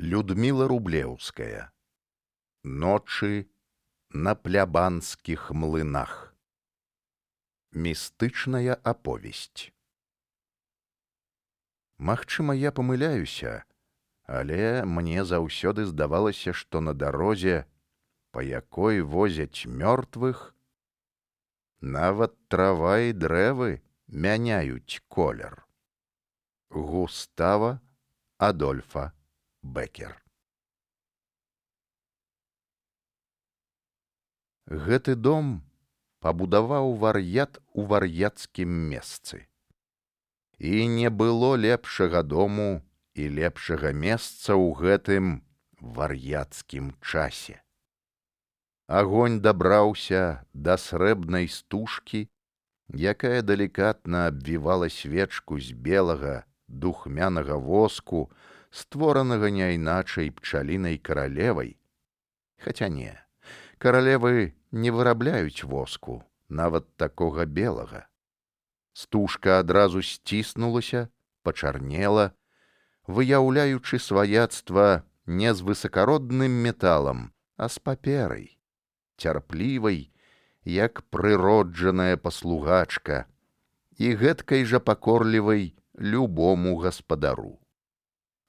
Людмила Рублеўская. Ночы на плябанскіх млынах. Містычная аповесць. Магчыма, я памыляюся, але мне заўсёды здавалася, што на дарозе, па якой возяць мёртвых, нават трава і дрэвы мяняюць колер. Густава Адольфа Бекер. Гэты дом пабудаваў вар'ят у вар'яцкім месцы. І не было лепшага дому і лепшага месца ў гэтым вар'яцкім часе. Агонь дабраўся да срэбнай стужкі, якая далікатна абвівала свечку з белага духмянага воску, створанага няйначай пчалінай каралевай. Хаця не, каралевы не вырабляюць воску, нават такога белага. Стужка адразу сціснулася, пачарнела, выяўляючы сваяцтва не з высакародным металам, а з паперай, цярплівай, як прыроджаная паслугачка, і гэткай жа пакорлівай любому гаспадару.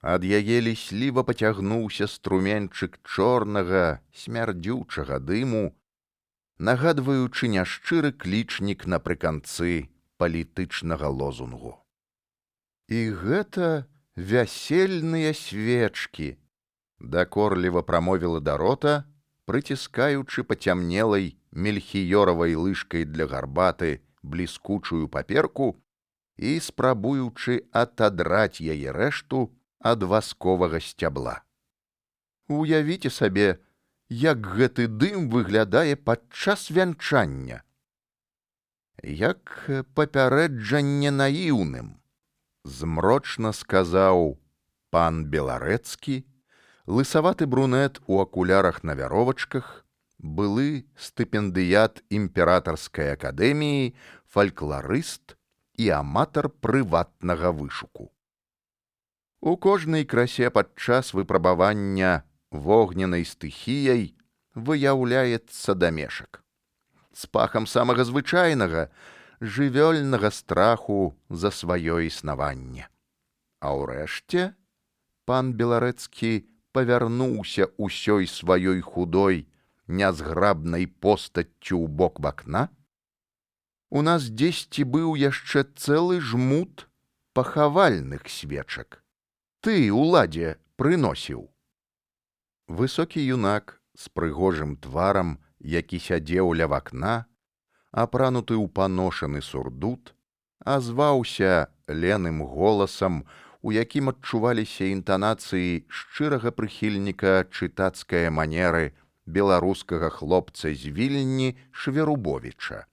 Ад яе лісліва пацягнуўся струменьчык чорнага, смярдзючага дыму, нагадваючы няшчыры клічнік напрыканцы палітычнага лозунгу. І гэта вясельныя свечкі, дакорліва прамовіла Дарота, прыціскаючы пацямнелай мельхіёравай лыжкай для гарбаты бліскучую паперку і спрабуючы атадраць яе рэшту ад васковага сцябла. Уявіце сабе, як гэты дым выглядае падчас вянчання. Як папярэджанне наіўным, змрочна сказаў пан Беларэцкі, лысаваты брунет у акулярах на вяровачках, былы стыпендыят імператарскай акадэміі, фалькларыст і аматар прыватнага вышуку. У кожнай красе падчас выпрабавання вогненнай стыхіяй выяўляецца дамешак. З пахам самага звычайнага, жывёльнага страху за сваё існаванне. А ўрэшце пан Беларэцкі павярнуўся ўсёй сваёй худой, нязграбнай постаццю ў бок вакна. У нас дзесьці быў яшчэ цэлы жмут пахавальных свечак. Ты, уладзе, прыносіў. Высокі юнак з прыгожым тварам, які сядзеў ля вакна, апрануты ў паношаны сурдут, азваўся леным голасам, у якім адчуваліся інтанацыі шчырага прыхільніка чытацкае манеры беларускага хлопца з Вільні Шверубовіча,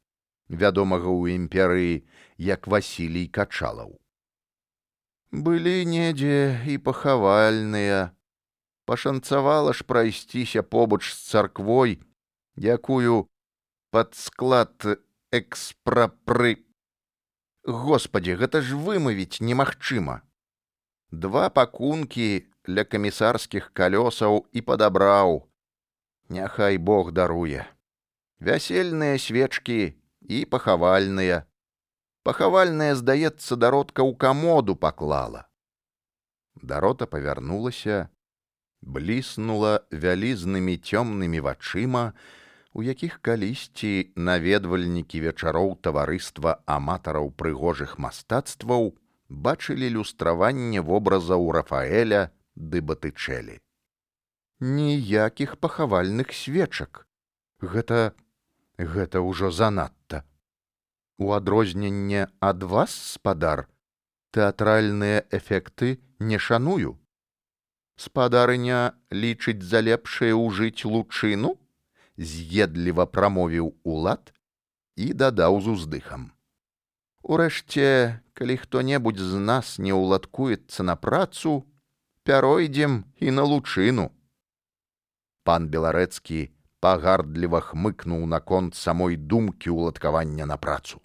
вядомага ў імперыі як Васілій Качалаў. Былі недзе і пахавальныя. Пашанцавала ж прайсціся побач з царквой, якую пад склад Господі, гэта ж вымавіць немагчыма. 2 пакункі ля камісарскіх калёсаў і падабраў. Няхай Бог даруе. Вясельныя свечкі і пахавальныя. Пахавальная, здаецца, Даротка ў камоду паклала. Дарота павярнулася, бліснула вялізнымі цёмнымі вачыма, у якіх калісьці наведвальнікі вечароў таварыства аматараў прыгожых мастацтваў бачылі люстраванне вобразаў Рафаэля ды Батычэлі. Ніякіх пахавальных свечак. Гэта ўжо занадта. У адрозненне ад вас, спадар, тэатральныя эфекты не шаную. Спадарыня лічыць за лепшае ўжыць лучыну? З'едліва прамовіў улад і дадаў з уздыхам. Урэшце, калі хто-небудзь з нас не ўладкуецца на працу, пяройдзем і на лучыну. Пан Беларэцкі пагардліва хмыкнуў наконт самой думкі ўладкавання на працу.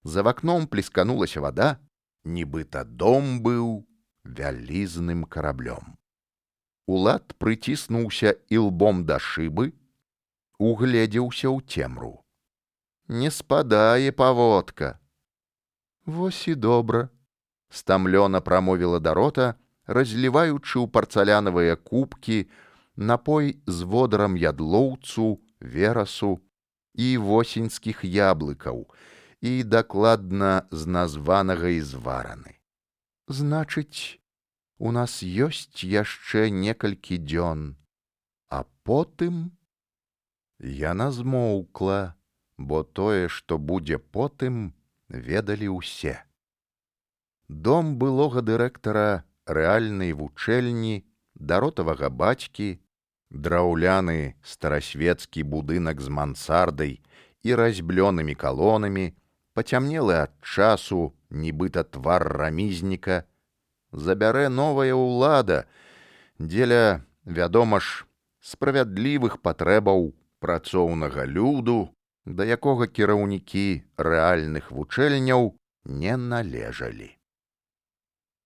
За вакном плесканулася вада, нібыта дом быў вялізным караблём. Улад прыціснуўся ілбом да шыбы, угледзеўся ў цемру. Не спадае паводка. Вось і добра, стамлёна прамовіла Дарота, разліваючы ў парцалянавыя кубкі напой з водарам ядлоўцу, верасу і восеньскіх яблыкаў, і дакладна з названага і звараны. Значыць, у нас ёсць яшчэ некалькі дзён, а потым... Яна змоўкла, бо тое, што будзе потым, ведалі ўсе. Дом былога дырэктара рэальнай вучэльні, даротавага бацькі, драўляны старасвецкі будынак з мансардай і разьблёнымі калонамі, пацямнелы ад часу, нібыта твар рамізніка, забярэ новая ўлада дзеля, вядома ж, справядлівых патрэбаў працоўнага люду, да якога кіраўнікі рэальных вучэльняў не належалі.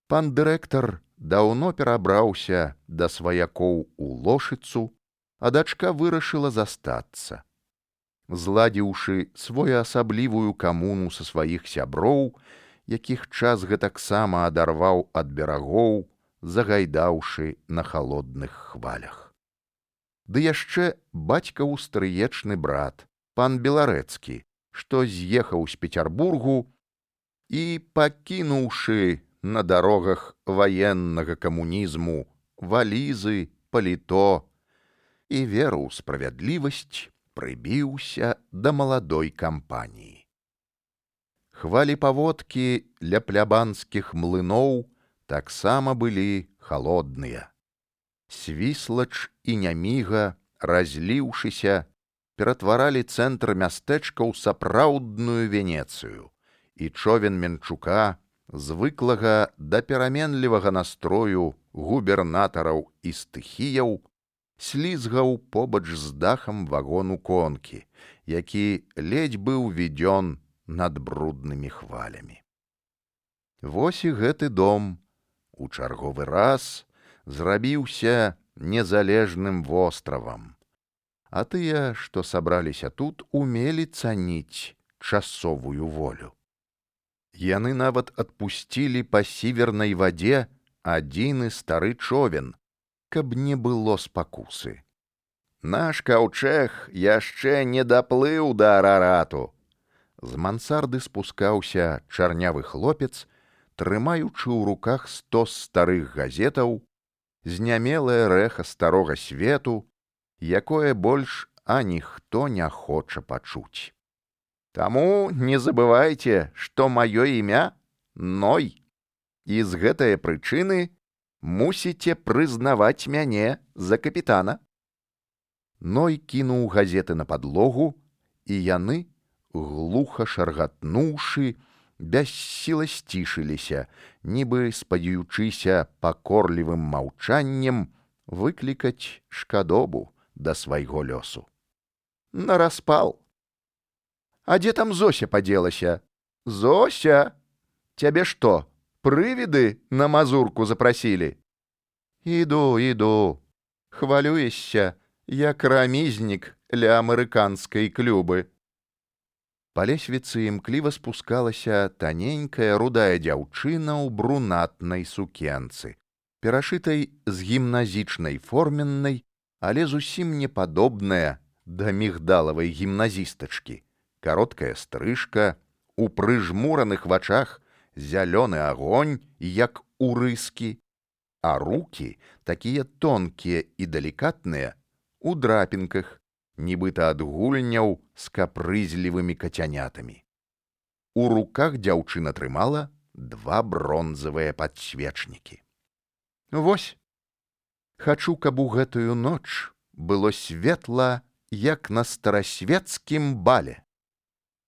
Пан дырэктар даўно перабраўся да сваякоў у Лошыцу, а дачка вырашыла застацца. Зладзіўшы своеасаблівую камуну са сваіх сяброў, якіх час гэтаксама адарваў ад берагоў, загайдаўшы на халодных хвалях. Ды яшчэ бацькаў стрыечны брат, пан Беларэцкі, што з'ехаў з Пецярбургу і, пакінуўшы на дарогах ваеннага камунізму валізы, паліто і веру ў справядлівасць, прыбіўся да маладой кампаніі. Хвалі паводкі ля плябанскіх млыноў таксама былі халодныя. Свіслач і няміга, разліўшыся, ператваралі цэнтр мястэчка ў сапраўдную Венецыю, і човен Менчука, звыклага да пераменлівага настрою губернатараў і стыхіяў, слізгаў побач з дахам вагону конкі, які ледзь быў відзён над бруднымі хвалямі. Вось і гэты дом у чарговы раз зрабіўся незалежным востравам, а тыя, што сабраліся тут, умелі цаніць часовую волю. Яны нават адпусцілі па сівернай вадзе адзіны стары човен, каб не было спакусы. Наш каўчэг яшчэ не даплыў да Арарату. З мансарды спускаўся чарнявы хлопец, трымаючы ў руках 100 старых газетаў, знямелае рэха старога свету, якое больш аніхто не хоча пачуць. Таму не забывайце, што маё імя Ной, і з гэтае прычыны мусіце прызнаваць мяне за капітана. Ной кінуў газеты на падлогу, і яны, глуха шаргатнуўшы, бяссіла сцішыліся, нібы спадзеючыся пакорлівым маўчаннем выклікаць шкадобу да свайго лёсу. Нараспал. А дзе там Зося падзелася? Зося! Цябе што, прывіды на мазурку запрасілі? Іду. Хвалюешся, як рамізнік ля амерыканскай клюбы. Па лесвіцы імкліва спускалася таненькая рудая дзяўчына ў брунатнай сукенцы, перашытай з гімназічнай форменнай, але зусім не падобная да мігдалавай гімназістачкі. Кароткая стрыжка, у прыжмураных вачах зялёны агонь, як у рыскі, а рукі, такія тонкія і далікатныя, у драпінках, нібыта ад гульняў з капрызлівымі кацянятамі. У руках дзяўчына трымала 2 бронзавыя падсвечнікі. Вось, хачу, каб у гэтую ноч было светла, як на старасвецкім бале.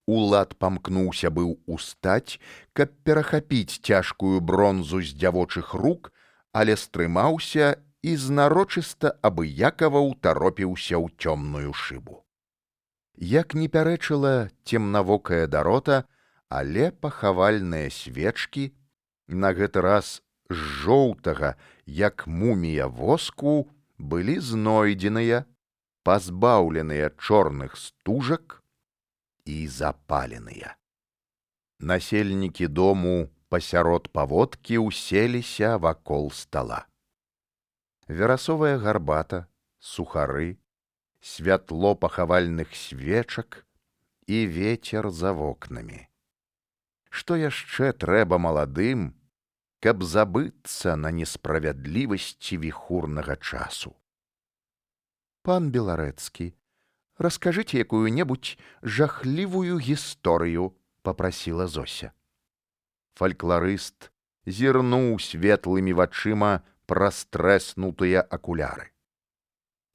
Улад памкнуўся быў устаць, каб перахапіць цяжкую бронзу з дзявочых рук, але стрымаўся і знарочыста абыякава ўтаропіўся ў цёмную шыбу. Як не пярэчыла цемнавокая Дарота, але пахавальныя свечкі, на гэты раз з жоўтага як мумія воску, былі знойдзеныя, пазбаўленыя чорных стужак і запаленыя. Насельнікі дому пасярод паводкі уселіся вакол стала. Верасовая гарбата, сухары, святло пахавальных свечак і вецер за вокнамі. Што яшчэ трэба маладым, каб забыцца на несправядлівасці віхурнага часу? Пан Беларэцкі, раскажыце якую-небудзь жахлівую гісторыю, папрасіла Зося. Фалькларыст зірнуў светлымі вачыма праз трэснутыя акуляры.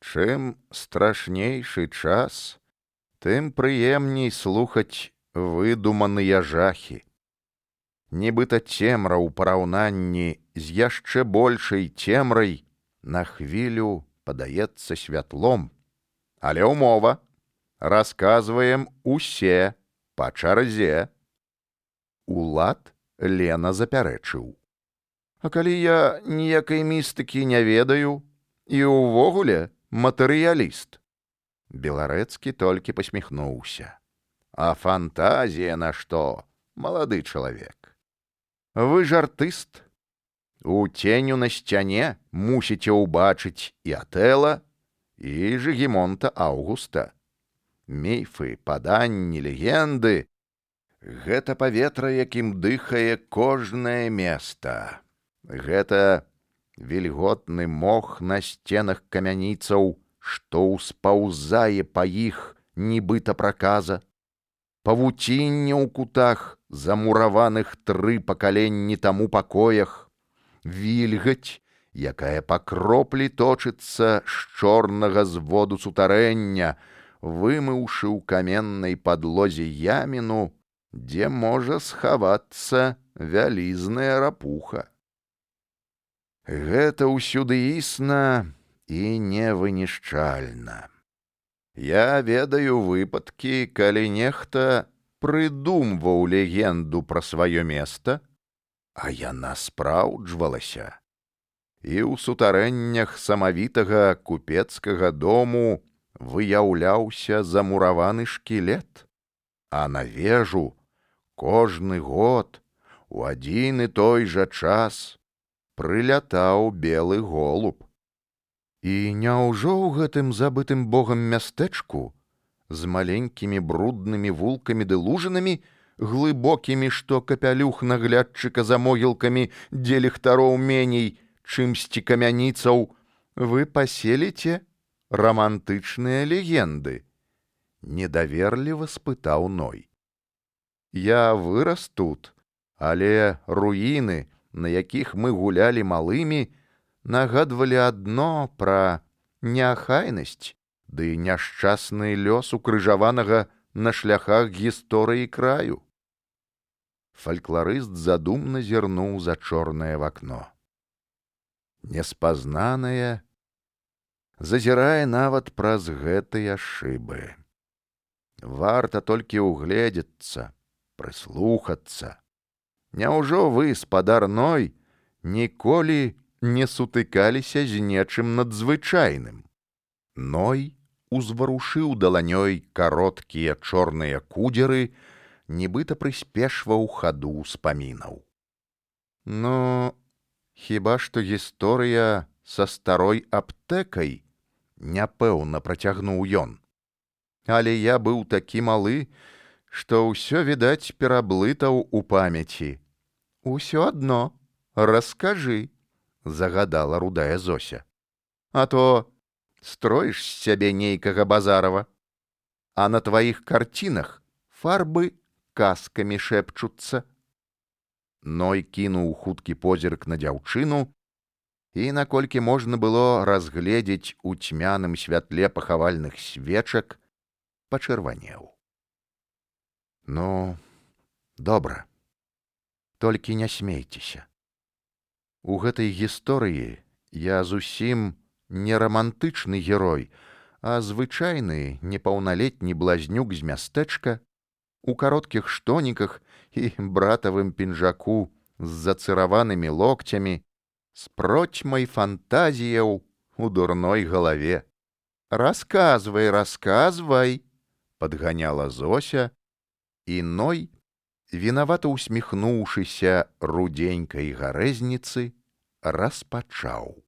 Чым страшнейшы час, тым прыемней слухаць выдуманыя жахі. Нібыта цемра ў параўнанні з яшчэ большай цемрай на хвілю падаецца святлом. Але ўмова, расказваем усе па чарзе. Улад Лена запярэчыў. А калі я ніякай містыкі не ведаю і ўвогуле матэрыяліст? Беларэцкі толькі пасміхнуўся. А фантазія на што, малады чалавек? Вы ж артыст. У ценю на сцяне мусіце ўбачыць і Атэла, і Жыгімонта Аўгуста. Міфы, паданні, легенды — гэта паветра, якім дыхае кожнае места. Гэта вільготны мох на сценах камяніцаў, што ўспаўзае па іх нібыта праказа. Павуцінне ў кутах, замураваных 3 пакаленні таму пакоях, вільгаць, якая па кроплі точыцца з чорнага зводу сутарэння, вымыўшы ў каменнай падлозе яміну, дзе можа схавацца вялізная рапуха. Гэта ўсюды існа і невынішчальна. Я ведаю выпадкі, калі нехта прыдумваў легенду пра сваё места, а яна спраўджвалася. І ў сутарэннях самавітага купецкага дому выяўляўся замураваны шкілет, а на вежу кожны год у адзін і той жа час прылятаў белы голуб. І няўжо ў гэтым забытым богам мястэчку з маленькімі бруднымі вулкамі ды лужынамі, глыбокімі, што капялюх наглядчыка за могілкамі, дзе ліхтароў меней, чымсьці камяніцаў, вы паселіце рамантычныя легенды? Недаверліва спытаў Ной. Я вырас тут, але руіны, на якіх мы гулялі малымі, нагадвалі адно пра неахайнасць ды няшчасны лёс укрыжаванага на шляхах гісторыі краю. Фалькларыст задумна зірнуў за чорнае вакно. Неспазнанае зазірае нават праз гэтыя шыбы. Варта толькі ўгледзецца, прыслухацца. Няўжо вы, спадар Ной, ніколі не сутыкаліся з нечым надзвычайным? Ной узварушыў даланёй кароткія чорныя кудзеры, нібыта прыспешваў хаду ўспамінаў. Ну, хіба што гісторыя са старой аптэкай, няпэўна працягнуў ён. Але я быў такі малы, што ўсё, відаць, пераблытаў у памяці. Усё адно, раскажы, загадала рудая Зося. А то строіш з сябе нейкага Базарова, а на тваіх карцінах фарбы казкамі шэпчуцца. Ной кінуў хуткі позірк на дзяўчыну і, наколькі можна было разгледзець у цьмяным святле пахавальных свечак, пачырванеў. Ну, добра, толькі не смейцеся. У гэтай гісторыі я зусім не рамантычны герой, а звычайны непаўналетні блазнюк з мястэчка, у кароткіх штоніках і братавым пінжаку з зацыраванымі локцямі, з процьмай фантазіяў у дурной галаве. Расказвай, расказвай, падганяла Зося, і Ной, вінавата усміхнуўшыся рудзенькай гарэзніцы, распачаў.